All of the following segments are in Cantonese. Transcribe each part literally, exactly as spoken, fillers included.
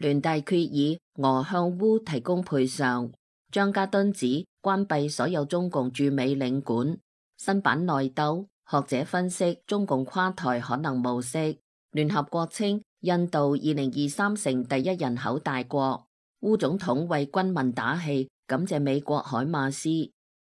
聯大決議俄向烏提供賠償。張家敦指關閉所有中共駐美領館。新版內鬥，學者分析中共垮台可能無息。聯合國稱印度二零二三成第一人口大國。烏總統為軍民打氣，感謝美國海馬斯。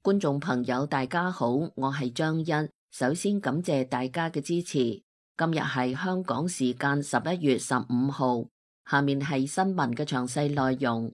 觀眾朋友大家好，我係張欣，首先感謝大家嘅支持。今日係香港時間十一月十五號，下面係新聞嘅詳細內容。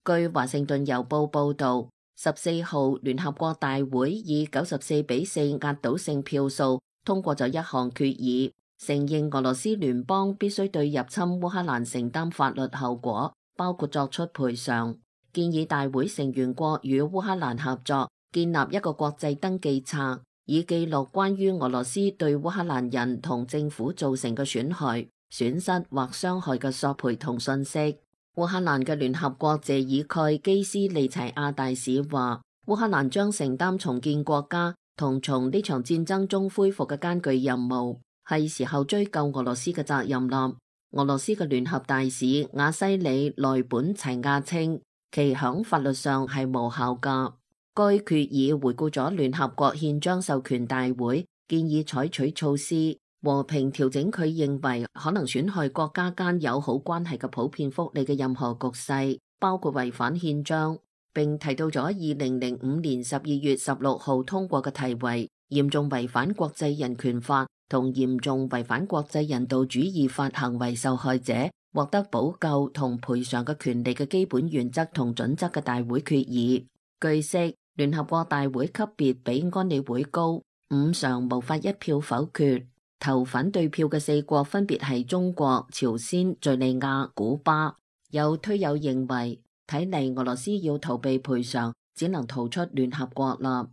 據華盛頓郵報報道，十四號聯合國大會以九十四比四壓倒性票數通過咗一項決議，承認俄羅斯聯邦必須對入侵烏克蘭承擔法律後果，包括作出賠償。建議大會成員國與烏克蘭合作，建立一個國際登記冊，以記錄關於俄羅斯對烏克蘭人同政府造成嘅損害、損失或傷害嘅索賠同信息。烏克蘭嘅聯合國謝爾蓋基斯利齊亞大使話，烏克蘭將承擔重建國家同從呢場戰爭中恢復嘅艱巨任務，係時候追究俄羅斯嘅責任啦。俄羅斯嘅聯合大使瓦西里內本齊亞稱，其響法律上係無效噶。該決議回顧咗聯合國憲章授權大會建議採取措施，和平調整佢認為可能損害國家間友好關係嘅普遍福利嘅任何局勢，包括違反憲章，並提到咗二零零五年十二月十六號通過嘅題為嚴重違反國際人權法同嚴重違反國際人道主義法行為受害者獲得補救同賠償嘅權利嘅基本原則同準則嘅大會決議。據悉，聯合國大會級別比安理會高，五常無法一票否決。投反對票嘅四國分別係中國、朝鮮、敘利亞、古巴。有推友認為，睇嚟俄羅斯要逃避賠償，只能逃出聯合國啦。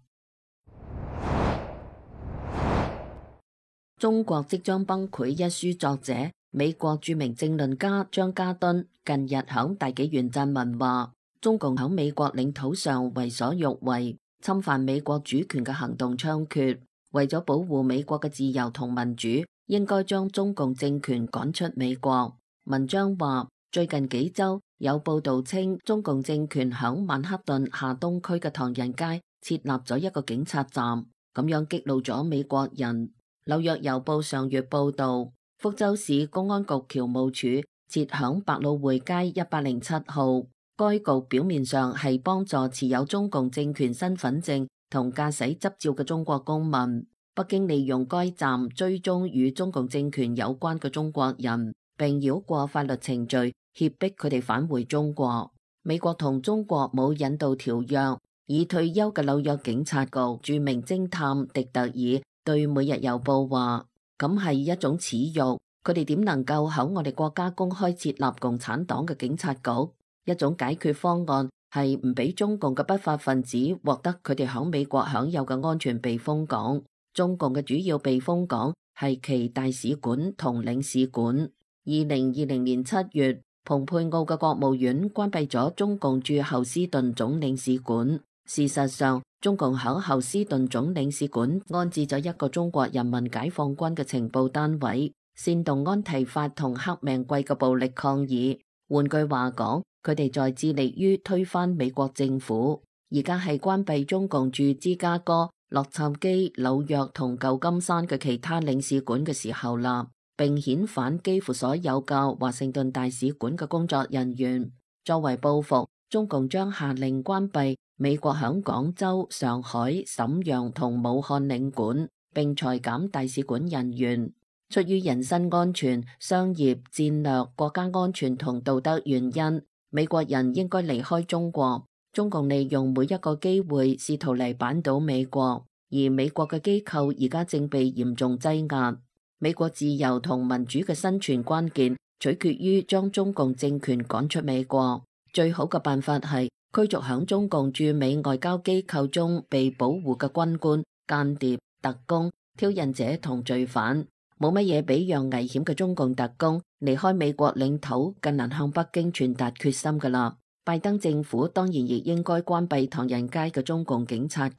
中國即將崩潰一書作者、美國著名政論家張家敦近日響大紀元撰文話，中共響美國領土上為所欲為，侵犯美國主權嘅行動猖獗。為咗保護美國嘅自由同民主，應該將中共政權趕出美國。文章話，最近幾周有報道稱，中共政權響曼克頓下東區嘅唐人街設立咗一個警察站，咁樣激怒咗美國人。紐約郵報上月報道，福州市公安局僑務處設響百老匯街一百零七號，該局表面上係幫助持有中共政權身份證同駕駛執照嘅中國公民。北京利用該站追蹤與中共政權有關嘅中國人，並繞過法律程序，脅迫佢哋返回中國。美國同中國冇引渡條約。已退休嘅紐約警察局著名偵探迪特爾對每日郵報話，咁係一種恥辱，佢哋點能夠喺我哋國家公開設立共產黨嘅警察局？一種解決方案係唔俾中共嘅不法分子獲得佢哋喺美國享有嘅安全避風港。中共嘅主要避風港係其大使館同領事館。二零二零年七月，蓬佩奧嘅國務院關閉咗中共駐侯斯頓總領事館。事實上，中共喺侯斯頓總領事館安置咗一個中國人民解放軍嘅情報單位，煽動安提法同黑命貴嘅暴力抗議。換句話講，佢哋在致力於推翻美國政府。而家係關閉中共駐芝加哥、洛杉磯、紐約同舊金山嘅其他領事館嘅時候啦，並遣返幾乎所有嘅華盛頓大使館嘅工作人員。作為報復，中共將下令關閉美國響廣州、上海、瀋陽同武漢領館，並裁減大使館人員。出於人身安全、商業、戰略、國家安全同道德原因，美國人應該離開中國。中共利用每一個機會試圖嚟扳倒美國，而美國嘅機構而家正被嚴重擠壓。美國自由同民主嘅生存關鍵取決於將中共政權趕出美國。最好嘅辦法係驅逐響中共駐美外交機構中被保護嘅軍官、間諜、特工、挑釁者同罪犯。冇乜嘢比讓危險嘅中共特工離開美國領土更能向北京傳達決心㗎啦。拜登政府當然亦應該關閉唐人街嘅中共警察局。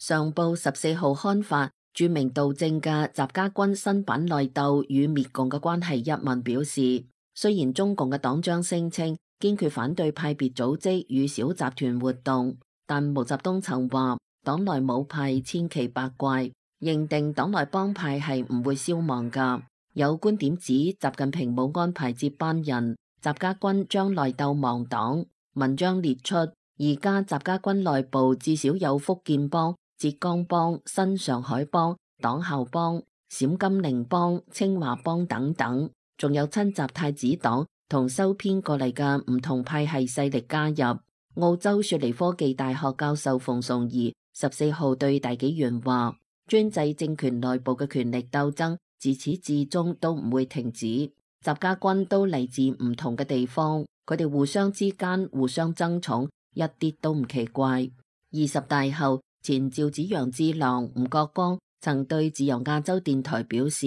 上報十四號刊發著名導正嘅習家軍新版內鬥與滅共嘅關係一文表示，雖然中共嘅黨章聲稱堅決反對派別組織與小集團活動，但毛澤東曾話黨內冇派千奇百怪，認定黨內幫派係唔會消亡噶。有觀點指習近平冇安排接班人，習家軍將內鬥亡黨。文章列出，而家習家軍內部至少有福建幫、浙江幫、新上海幫、黨校幫、陝甘寧幫、清華幫等等，仲有親習太子黨同收編過嚟嘅唔同派系勢力加入。澳洲雪梨科技大學教授馮崇義十四號對大紀元話，專制政權內部嘅權力鬥爭自始至終都唔會停止。習家軍都嚟自唔同嘅地方，佢哋互相之間互相爭寵，一啲都唔奇怪。二十大後，前趙紫陽智囊吳國光曾對自由亞洲電台表示，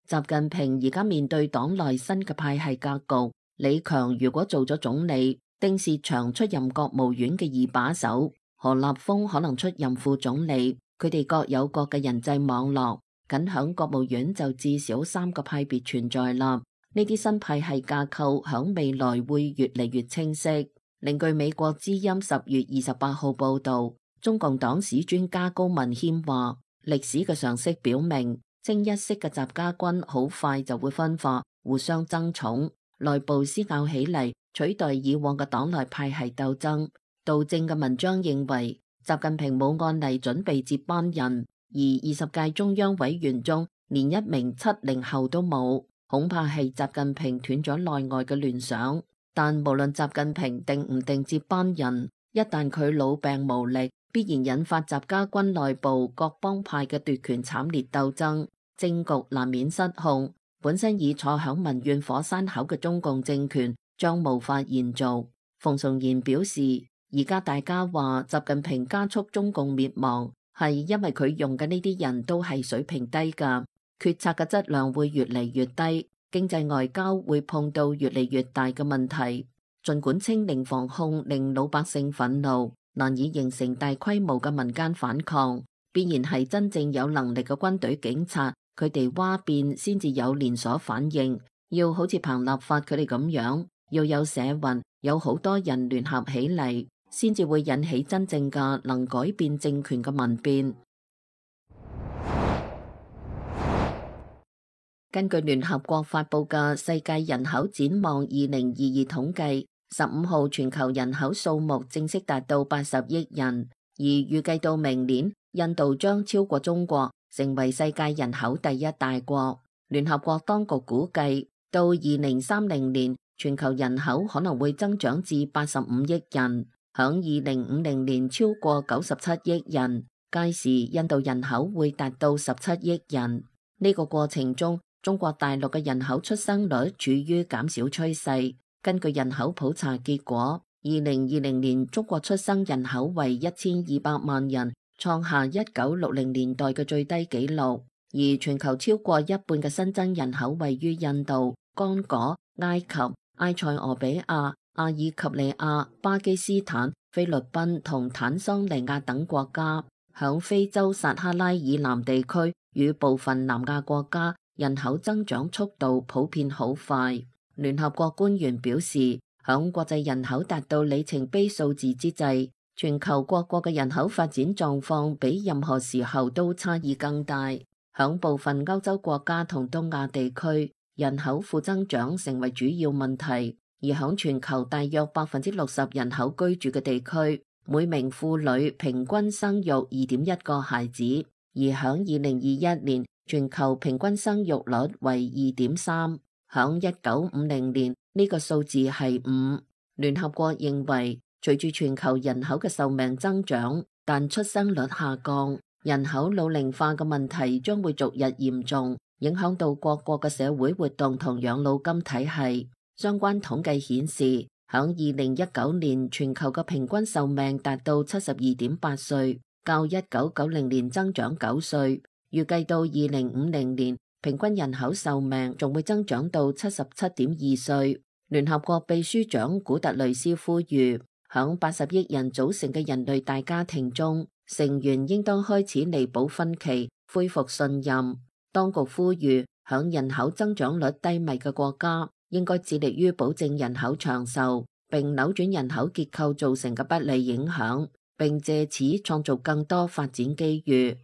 習近平而家面對黨內新嘅派系格局，李強如果做咗總理，丁薛祥出任國務院嘅二把手，何立峰可能出任副總理，佢哋各有各嘅人際網絡，僅響國務院就至少三個派別存在啦。呢啲新派系架構響未來會越嚟越清晰。另據美國之音十月二十八號報道，中共黨史專家高文謙話，歷史嘅常識表明，清一色嘅習家軍好快就會分化，互相爭寵，內部撕咬起嚟，取代以往嘅黨內派系鬥爭。導正嘅文章認為，習近平冇按例準備接班人，而二十屆中央委員中連一名七零後都冇。恐怕係習近平斷咗內外嘅聯想，但無論習近平定唔定接班人，一旦佢老病無力，必然引發習家軍內部各幫派嘅奪權慘烈鬥爭，政局難免失控。本身已坐響民怨火山口嘅中共政權將無法延續。馮崇賢表示，而家大家話習近平加速中共滅亡，係因為佢用嘅呢啲人都係水平低噶。決策嘅質量會越嚟越低，經濟外交會碰到越嚟越大嘅問題。儘管清零防控令老百姓憤怒，難以形成大規模嘅民間反抗，必然係真正有能力嘅軍隊警察，佢哋嘩變先至有連鎖反應。要好似彭立發佢哋咁樣，要有社運，有好多人聯合起嚟，先至會引起真正嘅能改變政權嘅民變。根據聯合國發佈嘅《世界人口展望二零二二》統計，十五號全球人口數目正式達到八十億人，而預計到明年，印度將超過中國，成為世界人口第一大國。聯合國當局估計，到二零三零年，全球人口可能會增長至八十五億人，響二零五零年超過九十七億人，屆時印度人口會達到十七億人。呢個過程中，中國大陸嘅人口出生率處於減少趨勢。根據人口普查結果，二零二零年中國出生人口為一千二百萬人，創下一九六零年代嘅最低紀錄。而全球超過一半嘅新增人口位於印度、剛果、埃及、埃塞俄比亞、阿爾及利亞、巴基斯坦、菲律賓同坦桑尼亞等國家。響非洲撒哈拉以南地區與部分南亞國家，人口增長速度普遍好快。聯合國官員表示，響國際人口達到里程碑數字之際，全球各國嘅人口發展狀況比任何時候都差異更大。響部分歐洲國家同東亞地區，人口負增長成為主要問題，而響全球大約百分之六十人口居住嘅地區，每名婦女平均生育二點一個孩子，而響二零二一年，全球平均生育率為二點三，響一九五零年呢個數字係五。聯合國認為，隨住全球人口嘅壽命增長，但出生率下降，人口老齡化嘅問題將會逐日嚴重，影響到各國嘅社會活動同養老金體系。相關統計顯示，響二零一九年全球嘅平均壽命達到七十二點八歲，較一九九零年增長九歲。預計到二零五零年，平均人口壽命仲會增長到七十七點二歲。聯合國秘書長古特雷斯呼籲，響八十億人組成嘅人類大家庭中，成員應當開始彌補分歧，恢復信任。當局呼籲響人口增長率低迷嘅國家，應該致力於保證人口長壽，並扭轉人口結構造成嘅不利影響，並借此創造更多發展機遇。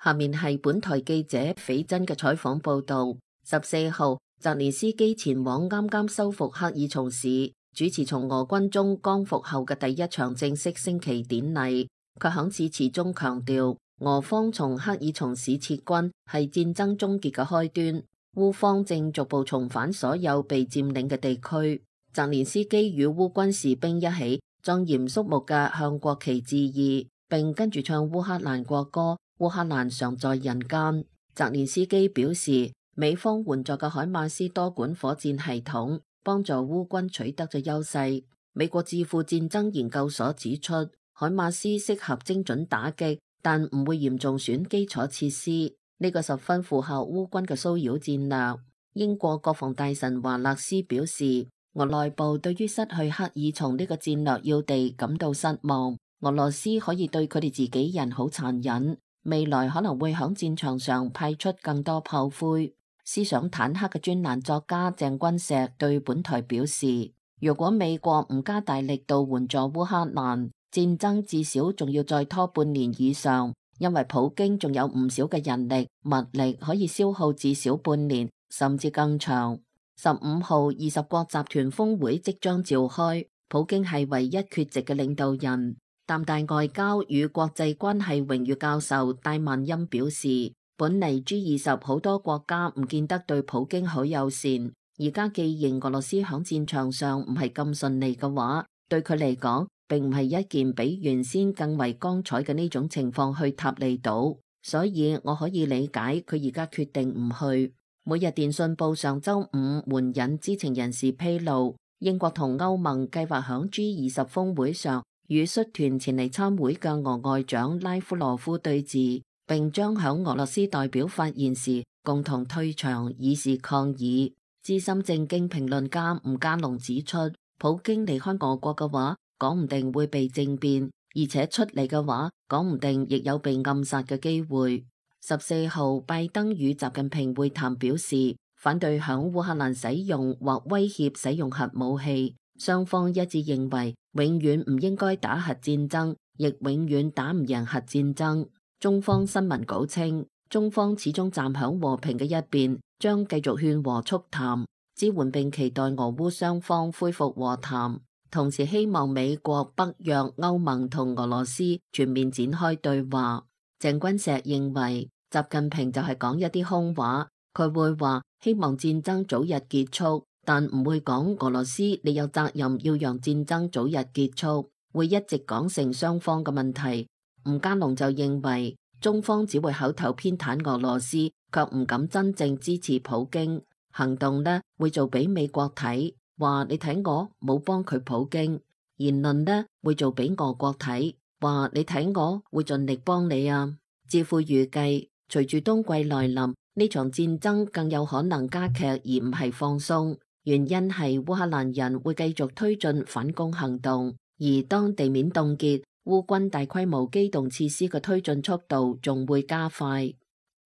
下面係本台記者斐真嘅採訪報道。十四號，澤連斯基前往啱啱收復克爾松市，主持從俄軍中光復後嘅第一場正式升旗典禮。佢響致辭中強調，俄方從克爾松市撤軍係戰爭終結嘅開端，烏方正逐步重返所有被佔領嘅地區。澤連斯基與烏軍士兵一起莊嚴肅穆嘅向國旗致意，並跟住唱烏克蘭國歌。烏克蘭常在人間。澤連斯基表示，美方援助嘅海馬斯多管火箭系統幫助烏軍取得咗優勢。美國智庫戰爭研究所指出，海馬斯適合精準打擊，但唔會嚴重損基礎設施，呢個十分符合烏軍嘅騷擾戰略。英國國防大臣華勒斯表示，俄內部對於失去克爾松呢個戰略要地感到失望，俄羅斯可以對佢哋自己人好殘忍。未來可能會響戰場上派出更多炮灰。思想坦克嘅專欄作家鄭君碩對本台表示，如果美國唔加大力度援助烏克蘭，戰爭至少仲要再拖半年以上，因為普京仲有唔少嘅人力物力可以消耗至少半年，甚至更長。十五號二十國集團峰會即將召開，普京係唯一缺席嘅領導人。淡大外交與國際關係榮譽教授戴萬欽表示，本嚟 G 二十好多國家唔見得對普京好友善，而家既然俄羅斯響戰場上唔係咁順利嘅話，對佢嚟講並唔係一件比原先更為光彩嘅呢種情況去塔利島，所以我可以理解佢而家決定唔去。每日電訊報上周五援引知情人士披露，英國同歐盟計劃響 G 二十峰會上與率團前嚟參會嘅俄外長拉夫羅夫對峙，並將響俄羅斯代表發言時共同退場以示抗議。資深政經評論家吳家龍指出，普京離開俄國嘅話，講唔定會被政變，而且出嚟嘅話，講唔定亦有被暗殺嘅機會。十四號，拜登與習近平會談表示，反對響烏克蘭使用或威脅使用核武器。雙方一致認為，永遠唔應該打核戰爭，亦永遠打唔贏核戰爭。中方新聞稿稱，中方始終站響和平嘅一邊，將繼續勸和促談，支援並期待俄烏雙方恢復和談，同時希望美國、北約、歐盟同俄羅斯全面展開對話。鄭君碩認為，習近平就係講一啲空話，佢會話希望戰爭早日結束，但唔會講俄羅斯你有責任要讓戰爭早日結束，會一直講成雙方嘅問題。吳家龍就認為，中方只會口頭偏袒俄羅斯，卻唔敢真正支持普京，行動呢會做俾美國睇，話你睇我冇幫佢普京；言論呢會做俾俄國睇，話你睇我會盡力幫你啊。智庫預計，隨住冬季來臨，呢場戰爭更有可能加劇而唔係放鬆，原因係烏克蘭人會繼續推進反攻行動，而當地面凍結，烏軍大規模機動設施嘅推進速度仲會加快。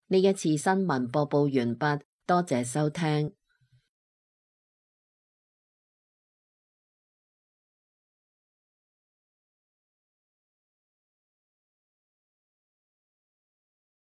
呢一次新聞播報完畢，多謝收聽。